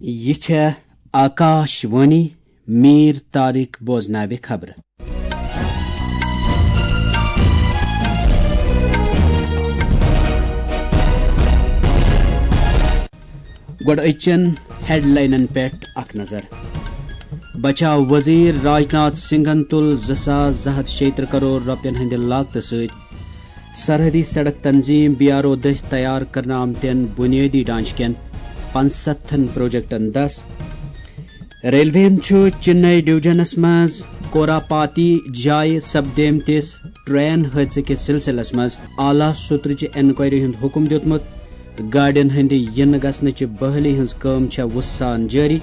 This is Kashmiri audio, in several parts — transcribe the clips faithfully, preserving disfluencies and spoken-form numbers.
یہِ چھےٚ آکاش وانی۔ میٖر طارق بوزناوِ خبرٕ۔ گۄڈٕ أزچٮ۪ن ہیڈلاینن پٮ۪ٹھ اکھ نظر۔ بچاو وزیر راجناتھ سنگھن تُل زٕ ساس زٕ ہتھ شیٚیہِ ترٕہ کرور رۄپین ہٕنٛدِ لاگتہٕ سۭتۍ سرحدی سڑک تنظیم بی آر او دٔسۍ تیار کرنہٕ آمتٮ۪ن بنیٲدی ڈھانچہٕ کٮ۪ن پنٛژستھن پروجیکٹن دس۔ ریلوے ہن چھُ چنئی ڈویژنس منٛز کوراپاتی جایہِ سپدیمتِس ٹرین حٲدثہٕ کِس سلسلس منٛز اعلیٰ سطرٕچہِ انکوائری ہُنٛد حکم دیُتمُت۔ گاڑٮ۪ن ہٕنٛدِ یِنہٕ گژھنٕچہِ بحالی ہٕنٛز کٲم چھےٚ وُژھ سان جٲری۔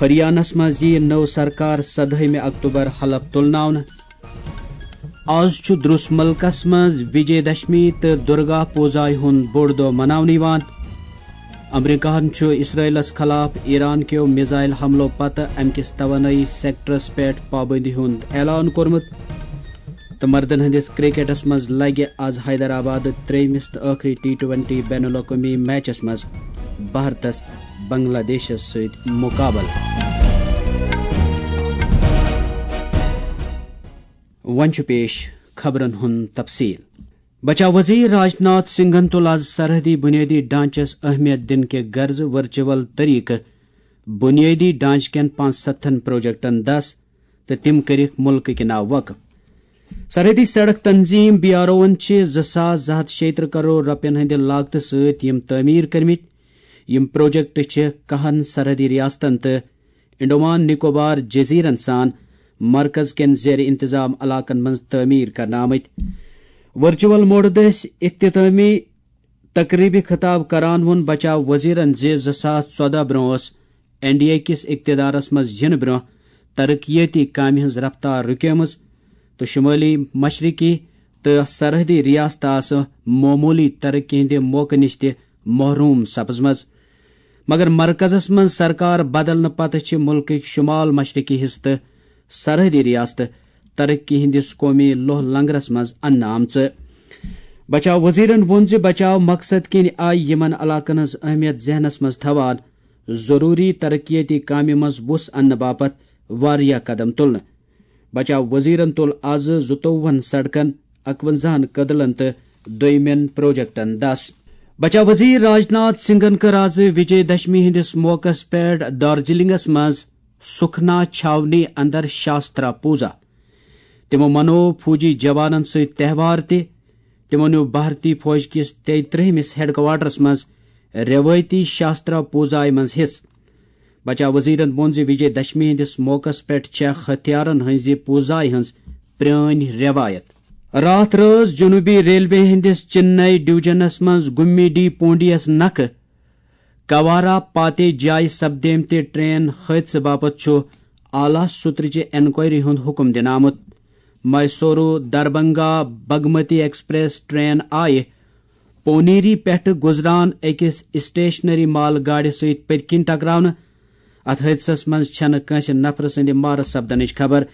ہریانس منٛز یِیہِ نٔو سرکار سدہٲیمہِ اکتوبر حلف تُلناونہٕ۔ آز چھُ درُس مُلکس منٛز وجے دشمی تہٕ درگا پوزایہِ ہُنٛد بوٚڑ دۄہ مناونہٕ یِوان۔ امریکاہن چھُ اسرائیلس خلاف ایران کیو میزائل حملو پتہٕ امہِ کِس توانٲیی سیکٹرس پٮ۪ٹھ پابندی ہُنٛد اعلان کوٚرمُت۔ تہٕ مردن ہٕنٛدِس کرکٹس منٛز لگہِ آز حیدرآبادٕ ترٛیٚیمِس تہٕ ٲخری ٹی ٹوینٹی بین الاقوٲمی میچس منٛز بھارتس بنگلہ دیشس سۭتۍ مقابلہٕ۔ وۄنۍ چھُ پیش خبرن ہُنٛد تفصیل۔ بچاو وزیر راجناتھ سنگھن تُل آز سرحدی بنیٲدی ڈھانچس اہمیت دِنہٕ کہِ غرضہٕ ورچوئل طریقہٕ بنیٲدی ڈھانچہٕ کٮ۪ن پانٛژستھن پروجیکٹن دس تہٕ تِم کٔرِکھ مُلکٕکہِ ناوٕ وقف۔ سرحدی سڑک تنظیم بی آر اوَن چھِ زٕ ساس زٕ ہتھ شیٚیہِ ترٕہ کرور رۄپین ہٕنٛدِ لاگتہٕ سۭتۍ یِم تعمیٖر کٔرمٕتۍ۔ یِم پروجیکٹ چھِ کاہن سرحدی ریاستن تہٕ انڈومان نکوبار جزیرن سان مرکز کٮ۪ن زیر انتظام علاقن منٛز تعمیٖر کرنہٕ آمٕتۍ۔ ورچوئل موڈٕ دٔسۍ اختتامی تقریبہِ خطاب کران ووٚن بچاو وزیرن زِ زٕ ساس ژۄدہ برونٛہہ ٲس این ڈی اے کِس اقتدارس منٛز یِنہٕ برونٛہہ ترقیٲتی کامہِ ہٕنٛز رفتار رُکیمٕژ تہٕ شمٲلی مشرقی تہٕ سرحدی ریاستہٕ آسہٕ معموٗلی ترقی ہٕنٛدِ موقعہٕ نِش تہِ محروم سپزمژ۔ مگر مرکزس منٛز سرکار بدلنہٕ پتہٕ چھِ مُلکٕکۍ شمال مشرقی حصہٕ تہٕ سرحدی ریاستہٕ ترقی ہٕنٛدِس قومی لوہ لنگرس منٛز اننہٕ آمژٕ۔ بچاو وزیرن ووٚن زِ بچاو مقصد کِنۍ آیہِ یِمن علاقن ہٕنٛز اہمیت ذہنس منٛز تھاوان ضروٗری ترقیتی کامہِ منٛز وُژھ اننہٕ باپتھ واریاہ قدم تُلنہٕ۔ بچاو وزیرن تُل آز زٕتووُہن سڑکن، اکونزہن کدلن تہٕ دوٚیمٮ۪ن پروجیکٹن دس۔ بچاو وزیر راجناتھ سنگھن کٔر آز وجے دشمی ہٕنٛدِس موقعس پٮ۪ٹھ دارجلنگس منٛز سکھنا چھاونی اندر شاسترا پوزا۔ تِمو منوو فوجی جوانن سۭتۍ تہوار تہِ۔ تِمو نیوٗ بھارتی فوج کِس تیٚیہِ ترٛہمِس ہیڈ کوارٹرس منٛز روایتی شاسترا پوزایہِ منٛز حصہٕ۔ بچاو وزیرن ووٚن زِ وجے دشمی ہٕنٛدِس موقعس پٮ۪ٹھ چھےٚ ہتھیارن ہٕنٛزِ پوزایہِ ہٕنٛز پرٛٲنۍ رٮ۪وایت۔ راتھ رٲژ جنوٗبی ریلوے ہٕنٛدِس چنئی ڈویژنس منٛز گُمِڈی پونڈیَس نکھٕ کوارا پاتے جایہِ سپدیمتہِ ٹرین حٲدثہٕ باپتھ چھُ اعلیٰ سطرٕچہِ انکوائری ہُنٛد حکم دِنہٕ آمُت۔ میسورو دربنگا بگمتی ایکسپریس ٹرین آیہِ پونیری پٮ۪ٹھٕ گُزران أکِس اسٹیشنری مال گاڑِ سۭتۍ پٔتۍ کِنۍ ٹکراونہٕ۔ اتھ حٲدثس منٛز چھنہٕ کٲنٛسہِ نفرٕ سٕنٛدِ مارٕ سپدنٕچ خبر۔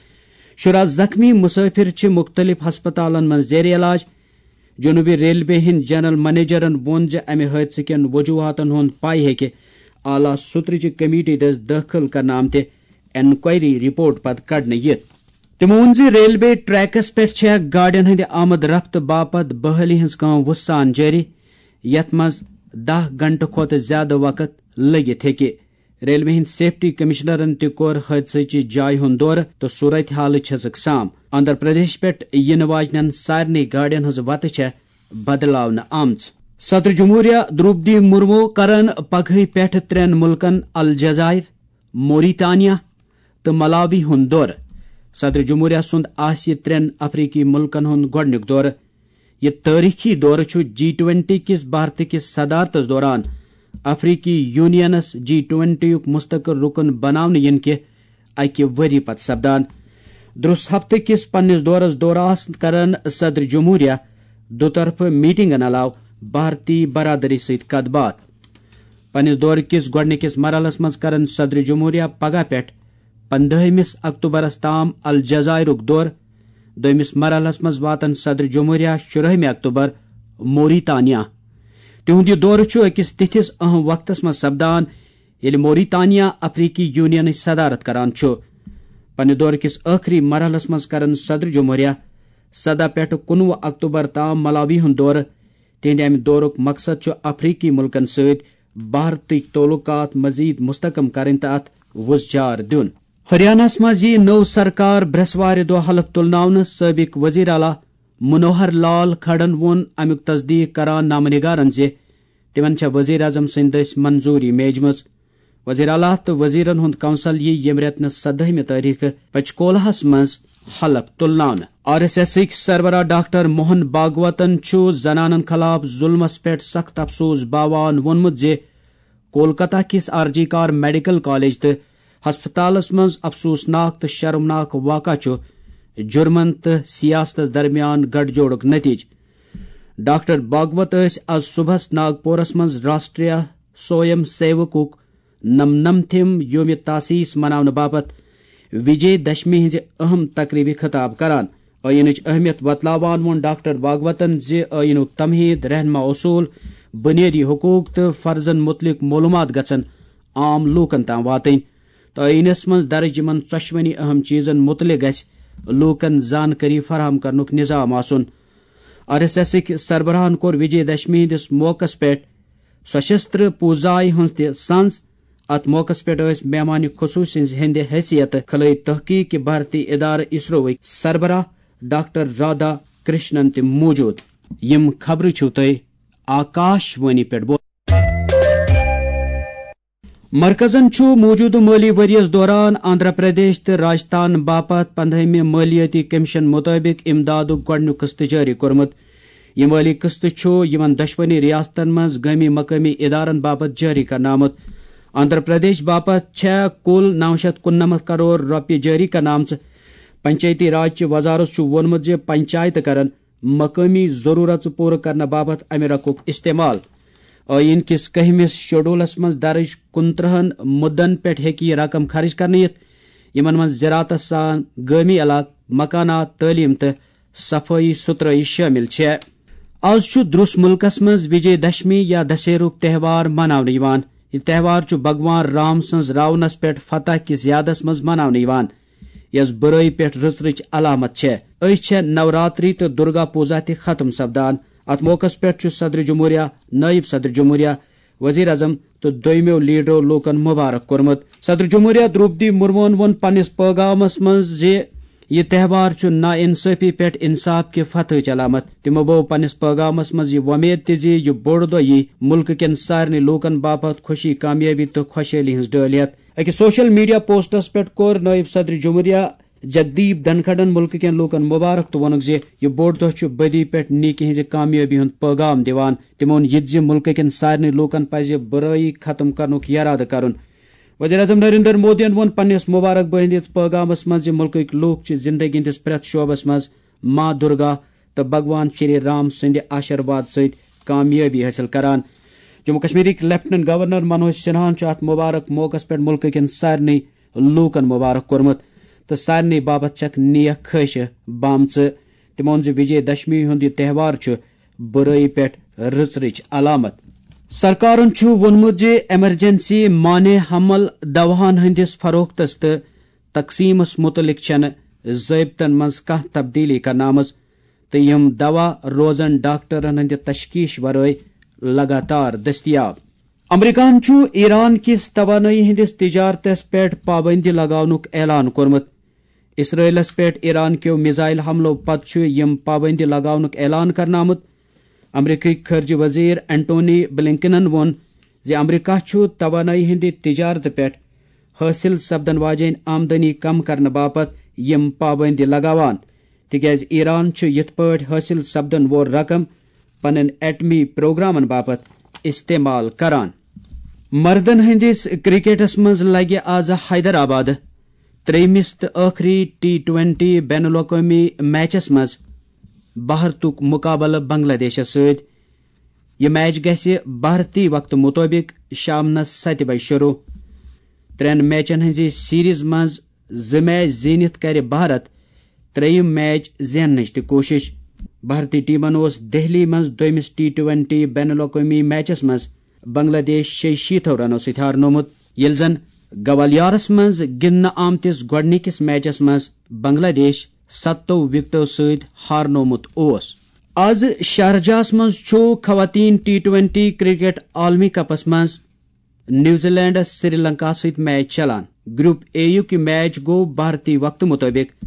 شُراہ زخمی مسافر چھِ مُختٔلِف ہسپتالن منٛز زیر علاج۔ جنوٗبی ریلوے ہٕنٛدۍ جنرل منیجرن ووٚن زِ امہِ حٲدثہٕ کٮ۪ن وجوہاتن ہُنٛد پاے ہیٚکہِ اعلیٰ سطرٕچہِ کمیٹی دٔسۍ دٲخل کرنہٕ آمتہِ انکوائری رپورٹ پتہٕ کڑنہٕ یِتھ۔ تِمو ووٚن زِ ریلوے ٹریکس پٮ۪ٹھ چھےٚ گاڑٮ۪ن ہٕنٛدِ آمد رفت باپتھ بحالی ہٕنٛز کٲم وُژھ سان جٲری، یتھ منٛز دَہ گھنٹہٕ کھۄتہٕ زیادٕ وقت لٔگِتھ ہیٚکہِ۔ ریلوے ہٕنٛدۍ سیفٹی کمشنرن تہِ کوٚر حٲدثٕچہِ جایہِ ہُنٛد دورٕ تہٕ صورت حالٕچ ہیٚژٕکھ سام۔ آندھرا پردیش پٮ۪ٹھ یِنہٕ واجنٮ۪ن سارنٕے گاڑٮ۪ن ہٕنٛز وتہٕ چھےٚ بدلاونہٕ آمژٕ۔ صدر جمہوریہ دروپدی مرمو کرن پگہٕے پٮ۪ٹھ ترٛٮ۪ن مُلکن الجزائر، موریتانیا تہٕ ملاوی ہُنٛد دورٕ۔ صدر جمہوریہ سُنٛد آسہِ ترٛٮ۪ن افریقی مُلکن ہُنٛد گۄڈٕنیُک دورٕ۔ یہِ تٲریخی دورٕ چھُ جی ٹوینٹی کِس بھارتہٕ کِس صدارتس دوران افریقی یونینس جی ٹوینٹی یُک مستقل رُکُن بناونہٕ یِنہٕ کہِ اکہِ ؤری پتہٕ سپدان۔ درُس ہفتہٕ کِس پننِس دورس دوران کرن صدر جمہوریہ دُطرفہٕ میٹنگن علاوٕ بھارتی برادری سۭتۍ کتھ باتھ۔ پننِس دورٕ کِس گۄڈٕنِکِس مرحلس منٛز کرن صدر جمہوریہ پگاہ پٮ۪ٹھ پندہمِس اکتوبرس تام الجزائرُک دورٕ۔ دوٚیمِس مرحلس منٛز واتن صدر جمہوریہ شُرہمہِ اکتوبر موریتانیا۔ تِہُنٛد یہِ دورٕ چھُ أکِس تِتھِس اہم وقتس منٛز سپدان، ییٚلہِ موریتانیا افریقی یونینٕچ صدارت کران چھُ۔ پننہِ دورٕ کِس ٲخری مرحلس منٛز کرن صدر جمہوریہ سدہ پٮ۪ٹھ کُنوُہ اکتوبر تام ملاوی ہُنٛد دورٕ۔ تِہنٛدِ امہِ دورُک مقصد چھُ افریقی مُلکن سۭتۍ بھارتٕکۍ تعلقات مزید مستحکم کرٕنۍ تہٕ اتھ وُژھ جار دیُن۔ ہریانہس منٛز یِیہِ نٔو سرکار برٛٮ۪سوارِ دۄہ حلف تُلناونہٕ۔ سٲبق وزیر اعلیٰ منوہر لال کھڑن ووٚن امیُک تصدیق کران نامہ نگارن زِ تِمن چھےٚ وزیر اعظم سٕنٛدِ دٔسۍ منظوٗری میجمٕژ۔ وزیر اعلیٰ تہٕ وزیرن ہُنٛد کونسل یِیہِ ییٚمہِ رٮ۪تہٕ نہٕ سدٲہمہِ تٲریخہٕ پچکولہس منٛز حلف تُلناونہٕ۔ آر ایس ایسٕکۍ سربراہ ڈاکٹر موہن بھاگوتن چھُ زنانن خلاف ظلمس پٮ۪ٹھ سخت افسوس باوان ووٚنمُت زِ کولکتہ کِس آر جی کار میڈیکل کالج تہٕ ہسپتالس منٛز افسوسناک تہٕ شرمناک واقعہ چھُ جرمن تہٕ سیاستس درمیان گٹھ جوڑُک نتیجہٕ۔ ڈاکٹر بھاگوت ٲسۍ از صبحس ناگپورس منٛز راشٹریہ سویم سیوکُک نمنمتھم یوم تاسیس مناونہٕ باپتھ وجے دشمی ہٕنٛزِ اہم تقریبہِ خطاب کران۔ ٲیٖنٕچ اہمیت وۄتلاوان ووٚن ڈاکٹر بھاگوتن زِ ٲیٖنُک تمہیٖد، رہنما اصوٗل، بنیٲدی حقوٗق تہٕ فرضن متعلق معلوٗمات گژھن عام لوٗکن تام واتٕنۍ تہٕ ٲیٖنس منٛز درج یِمن ژۄشوٕنی اہم چیٖزن متعلق گژھِ لوٗکن زانکٲری فراہم کرنُک نظام آسُن۔ آر ایس ایسٕکۍ سربراہن کوٚر وجے دشمی ہٕنٛدِس موقعس پٮ۪ٹھ سشستر پوٗزایہِ ہٕنٛز تہِ سنز۔ اتھ موقعس پٮ۪ٹھ ٲسۍ مہمان خصوصی ہٕنٛز ہٕنٛدِ حیثیت خلٲیی تحقیق کہِ بھارتی ادارٕ اسروٕکۍ سربراہ ڈاکٹر رادھا کرشنن تہِ موجود۔ یِم خبرٕ چھِو تُہۍ آکاش وانی پٮ۪ٹھ بوزان۔ مرکزن چھُ موجودٕ مٲلی ؤریَس دوران آندھرا پردیش تہٕ راجستھان باپتھ پندہمہِ مٲلیٲتی کمیشن مُطٲبِق امدادُک گۄڈٕنیُک قسط جٲری کوٚرمُت۔ یہِ مٲلی قسط چھُ یِمن دۄشوٕنی ریاستن منٛز گٲمی مقٲمی ادارن باپتھ جٲری کرنہٕ آمُت۔ آندھرا پردیش باپتھ چھےٚ کُل نو شیٚتھ کُننمتھ کرور رۄپیہِ جٲری کرنہٕ آمژٕ۔ پنچایتی راج چہِ وزارت چھُ ووٚنمُت زِ پنچایتہٕ کرن مقٲمی ضروٗرژٕ پوٗرٕ کرنہٕ باپتھ امہِ رقمُک استعمال۔ ٲیٖن کِس کٔہمِس شیڈولس منٛز درٕج کُنترٕہن مُدن پٮ۪ٹھ ہیٚکہِ یہِ رقم خرٕچ کرنہٕ یِتھ، یِمن منٛز زراعتس سان گٲمی علاقہٕ، مکانات، تعلیٖم تہٕ صفٲیی ستھرٲیی شٲمِل چھےٚ۔ از چھُ درٛس مُلکس منٛز وجے دشمی یا دسہرُک تہوار مناونہٕ یِوان۔ یہِ تہوار چھُ بھگوان رام سٕنٛز راونس پٮ۪ٹھ فتح کِس یادس منٛز مناونہٕ یِوان، یۄس بُرٲیی پٮ۪ٹھ رٕژرٕچ علامت چھےٚ۔ أزۍ چھےٚ نوراتری تہٕ درگا پوٗزا تہِ ختم سپدان۔ اتھ موقعس پٮ۪ٹھ چھُ صدر جمہوریہ، نٲیِب صدر جمہوریہ، وزیر اعظم تہٕ دوٚیمیو لیڈرو لوٗکن مبارک کوٚرمُت۔ صدر جمہوریہ درٛوپدی مرموہن ووٚن پننِس پٲغامس منٛز زِ یہِ تہوار چھُ نا انصٲفی پٮ۪ٹھ انصاف کہِ فتحٕچ علامت۔ تِمو بوو پننِس پٲغامس منٛز یہِ وۄمید تہِ زِ یہِ بوٚڑ دۄہ یِیہِ مُلکہٕ کٮ۪ن سارنٕے لوٗکن باپتھ خوشی، کامیٲبی تہٕ خۄشحٲلی ہٕنٛز ڈٲلۍ ہٮ۪تھ۔ أکِس سوشل میڈیا پوسٹس پٮ۪ٹھ کوٚر نٲیِب صدر جمہوریہ جگدیپ دھنکھڑن مُلکہٕ کٮ۪ن لوٗکن مبارک تہٕ ووٚنُکھ زِ یہِ بوٚڑ دۄہ چھُ بدی پٮ۪ٹھ نیکی ہٕنٛزِ کامیٲبی ہُنٛد پٲغام دِوان۔ تِمو ووٚن یہِ تہِ زِ مُلکہٕ کٮ۪ن سارنٕے لوٗکن پزِ بُرٲیی ختم کرنُک یرادٕ کرُن۔ وزیر اعظم نریندر مودیَن ووٚن پننِس مبارک بٲہی ہٕنٛدِس پٲغامس منٛز زِ مُلکٕکۍ لوٗکھ چھِ زندگی ہٕنٛدِس پرٛٮ۪تھ شعبس منٛز ماں درگا تہٕ بھگوان شری رام سٕنٛدِ آشیرواد سۭتۍ کامیٲبی حٲصِل کران۔ جموں کشمیرٕکۍ لیفٹیننٹ گورنر منوج سنہاہن چھُ اتھ مبارک موقعس پٮ۪ٹھ مُلکہٕ کٮ۪ن سارنٕے لوٗکن مبارک کوٚرمُت تہٕ سارنٕے باپتھ چھکھ نیک خٲہشہٕ بامژٕ۔ تِمو ووٚن زِ وجے دشمی ہُنٛد یہِ تہوار چھُ بُرٲیی پٮ۪ٹھ رٕژرٕچ علامت۔ سرکارن چھُ ووٚنمُت زِ ایمرجنسی مانع حمل دواہن ہٕنٛدِس فروختس تہٕ تقسیمس مُتعلق چھنہٕ ضٲبطن منٛز کانٛہہ تبدیلی کرنہٕ آمٕژ تہٕ یِم دوا روزن ڈاکٹرن ہٕنٛدِ تشخیص ورٲے لگاتار دٔستیاب۔ امریکہن چھُ ایران کِس توانٲیی ہٕنٛدِس تجارتس پٮ۪ٹھ پابندی لگاونُک اعلان کوٚرمُت۔ اسرائیلس پٮ۪ٹھ ایران کیو میزائل حملو پتہٕ چھُ یِم پابندی لگاونُک اعلان کرنہٕ آمُت۔ امریکہٕکۍ خارجہ وزیر اینٹونی بلنکنن ووٚن زِ امریکہ چھُ توانٲیی ہٕنٛدِ تجارتہٕ پٮ۪ٹھ حٲصِل سپدن واجیٚنۍ آمدنی کم کرنہٕ باپتھ یِم پابندی لگاوان، تِکیازِ ایران چھُ یِتھ پٲٹھۍ حٲصِل سپدن وول رقم پنٕنۍ ایٹمی پروگرامن باپتھ استعمال کران۔ مردن ہٕنٛدِس کرکٹس منٛز لگہِ آز حیدرآباد ترٛیٚیمِس تہٕ ٲخری ٹی ٹوینٹی بین الاقوٲمی میچس منٛز بھارتُک مقابلہٕ بنگلہ دیشس سۭتۍ۔ یہِ میچ گژھِ بھارتی وقتہٕ مُطٲبِق شامنس ستہِ بجہِ شروع۔ ترٛٮ۪ن میچن ہٕنٛزِ سیریز منٛز زٕ میچ زیٖنِتھ کرِ بھارت ترٛیٚیِم میچ زیننٕچ تہِ کوٗشِش۔ بھارتی ٹیمن اوس دہلی منٛز دوٚیمِس ٹی ٹوینٹی بین الاقوٲمی میچس منٛز بنگلہ دیش شیٚیہِ شیٖتو رنو سۭتۍ ہارنومُت۔ ییٚلہِ زن گوالیارس منٛز گِنٛدنہٕ آمتِس گۄڈٕنِکِس میچس منٛز بنگلہ دیش ستو وکٹو سۭتۍ ہارنومُت اوس۔ از شارجہس منٛز چھُ خواتین ٹی ٹوینٹی کرکٹ عالمی کپس منٛز نیوزی لینڈس سری لنکا سۭتۍ میچ چلان۔ گروپ اے یُک یہِ میچ گوٚو بھارتی وقتہٕ مُطٲبِق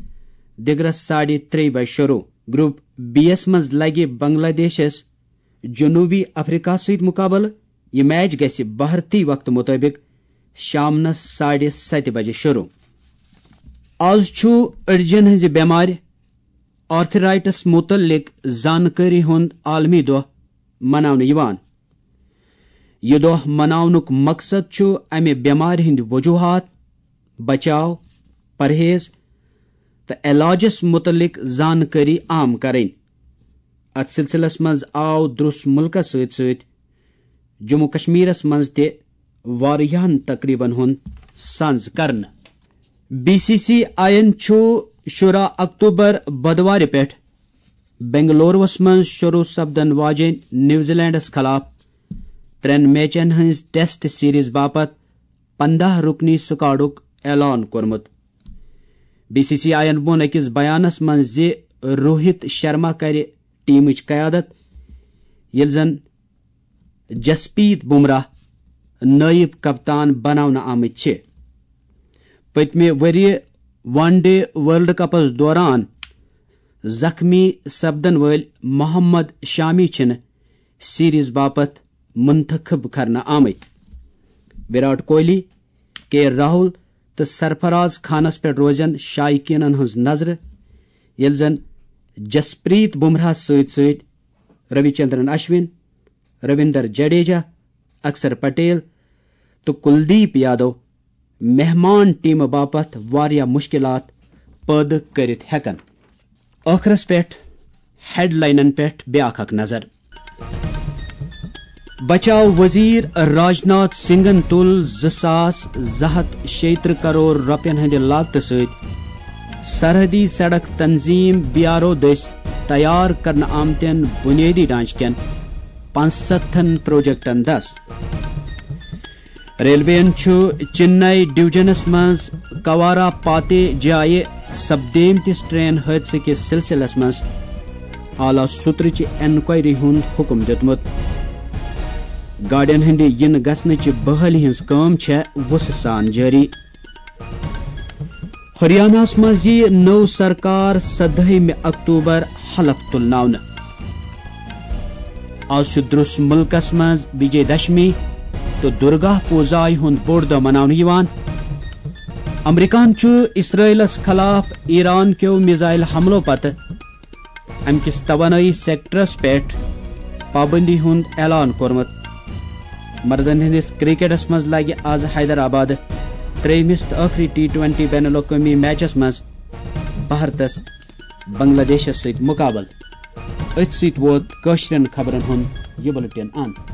دِگرس ساڑِ ترٛیٚیہِ بجہِ شروع۔ گروپ بی یس منٛز لگہِ بنگلہ دیشس جنوبی افریقہ سۭتۍ مقابلہٕ۔ یہِ میچ گژھِ بھارتی وقتہٕ مُطٲبِق شامنس ساڑِ ستہِ بجہِ شروع۔ از چھُ أڈجن ہٕنٛزِ بٮ۪مارِ آرتھرائٹس مُتعلق زانکٲری ہُنٛد عالمی دۄہ مناونہٕ یِوان۔ یہِ دۄہ مناونُک مقصد چھُ امہِ بٮ۪مارِ ہٕنٛدۍ وجوہات، بچاو، پرہیز تہٕ علاجس مُتعلق زانکٲری عام کرٕنۍ۔ اتھ سلسلس منٛز آو درس مُلکس سۭتۍ سۭتۍ جموں کشمیرس منٛز تہِ واریاہن تقریبن ہُنٛد سنز کرنہٕ۔ بی سی سی آئی یَن چھُ شُراہ اکتوبر بدوارِ پٮ۪ٹھ بنگلوروَس منٛز شروع سپدن واجیٚنۍ نیوزی لینڈس خلاف ترٛٮ۪ن میچن ہٕنٛز ٹیسٹ سیریز باپتھ پنٛداہ رُکنی سکواڈُک اعلان کوٚرمُت۔ بی سی سی آئی یَن ووٚن أکِس بیانس منٛز زِ روہت شرما کرِ ٹیمٕچ قیادت، ییٚلہِ زن جسپریت بمراہ نٲیِب کپتان بناونہٕ آمٕتۍ چھِ۔ پٔتمہِ ؤریہِ ون ڈے ورلڈ کپس دوران زخمی سپدن وٲلۍ محمد شامی چھِنہٕ سیریز باپتھ منتخب کرنہٕ آمٕتۍ۔ وراٹ کوہلی، کے راہل تہٕ سرفراز خانس پٮ۪ٹھ روزن شائقینن ہٕنٛز نظرٕ، ییٚلہِ زن جسپریت بمراہس سۭتۍ سۭتۍ روی چندرن اشون، رویندر جڈیجہ، اکشر پٹیل تہٕ کلدیپ یادو مہمان ٹیمہٕ باپتھ واریاہ مشکلات پٲدٕ کٔرِتھ ہٮ۪کن۔ ٲخرس پٮ۪ٹھ ہیڈلاینن پٮ۪ٹھ بیاکھ اکھ نظر۔ بچاو وزیر راجناتھ سنگھن تُل زٕ ساس زٕ ہتھ شیٚیہِ ترٕٛہ کرور رۄپین ہٕنٛدِ لاگتہٕ سۭتۍ سرحدی سڑک تنظیم بی آر او دٔسۍ تیار کرنہٕ آمتٮ۪ن بنیٲدی ڈھانچہٕ کٮ۪ن پانٛژستتھن پروجیکٹن دس۔ ریلویَن چھُ چنئی ڈویژنس منٛز کوارا پاتے جایہِ سپدیمتِس ٹرین حٲدثہٕ کِس سلسلس منٛز اعلیٰ سطرٕچہِ انکوائری ہُنٛد حکم دِیُتمُت۔ گاڑٮ۪ن ہٕنٛدِ یِنہٕ گژھنٕچہِ بحالی ہٕنٛز کٲم چھےٚ وُسہٕ سان جٲری۔ ہریاناہس منٛز یِیہِ نٔو سرکار سدٲہمہِ اکتوبر حلف تُلناونہٕ۔ از چھُ درس مُلکس منٛز وجے دشمی تہٕ درگا پوزایہِ ہُنٛد بوٚڑ دۄہ مناونہٕ یِوان۔ امریکہن چھُ اسرائیلس خلاف ایران کیو میزائل حملو پتہٕ امہِ کِس توانٲیی سیکٹرس پٮ۪ٹھ پابندی ہُنٛد اعلان کوٚرمُت۔ مردن ہٕنٛدِس کرکٹس منٛز لگہِ از حیدرآباد ترٛیٚیمِس تہٕ ٲخری ٹی ٹوینٹی بین الاقوٲمی میچس منٛز بھارتس بنگلہ دیشس سۭتۍ مقابلہٕ۔ أتھۍ سۭتۍ ووت کٲشرٮ۪ن خبرن ہُنٛد یہِ بُلٹن اند۔